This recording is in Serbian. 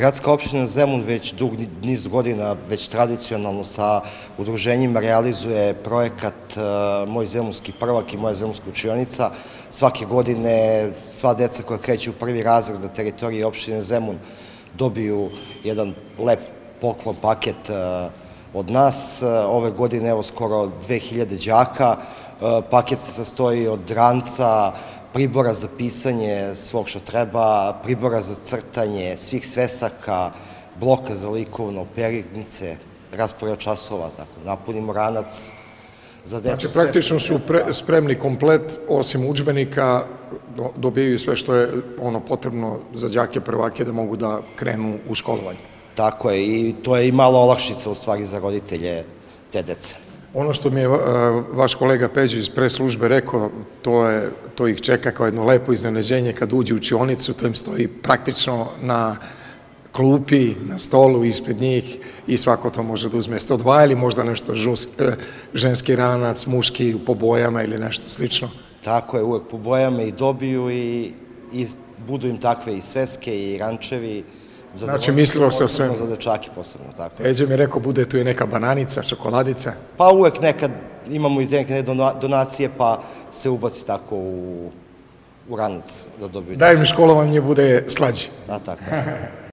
Gradska opština Zemun već dug niz godina, već tradicionalno sa udruženjima realizuje projekat Moj zemunski prvak i Moja zemunska učionica. Svake godine sva deca koja kreću u prvi razred na teritoriji opštine Zemun dobiju jedan lep poklon paket od nas. Ove godine evo skoro 2000 đaka. Paket se sastoji od ranca, pribora za pisanje svog što treba, pribora za crtanje, svih svesaka, bloka za likovno, peritnice, raspored časova, tako, napunimo ranac za decu. Znači, praktično su spremni komplet, osim udžbenika, dobijaju sve što je potrebno za đake prvake da mogu da krenu u školovanje. Tako je, i to je i malo olakšica u stvari za roditelje te dece. Ono što mi je vaš kolega Peđić iz pres službe rekao, to ih čeka kao jedno lepo iznenađenje kad uđe u učionicu, to im stoji praktično na klupi, na stolu ispred njih i svako to može da uzme 102 ili možda nešto ženski ranac, muški po bojama ili nešto slično. Tako je, uvek po bojama i dobiju i budu im takve i sveske i rančevi. Znači, mislilo se o svemu. Za dečake posebno, tako. Peđe mi rekao, bude tu i neka bananica, čokoladica. Pa uvek nekad imamo i neke donacije, pa se ubaci tako u ranac da dobiju. Daj mi školovanje bude slađe. Da, tako.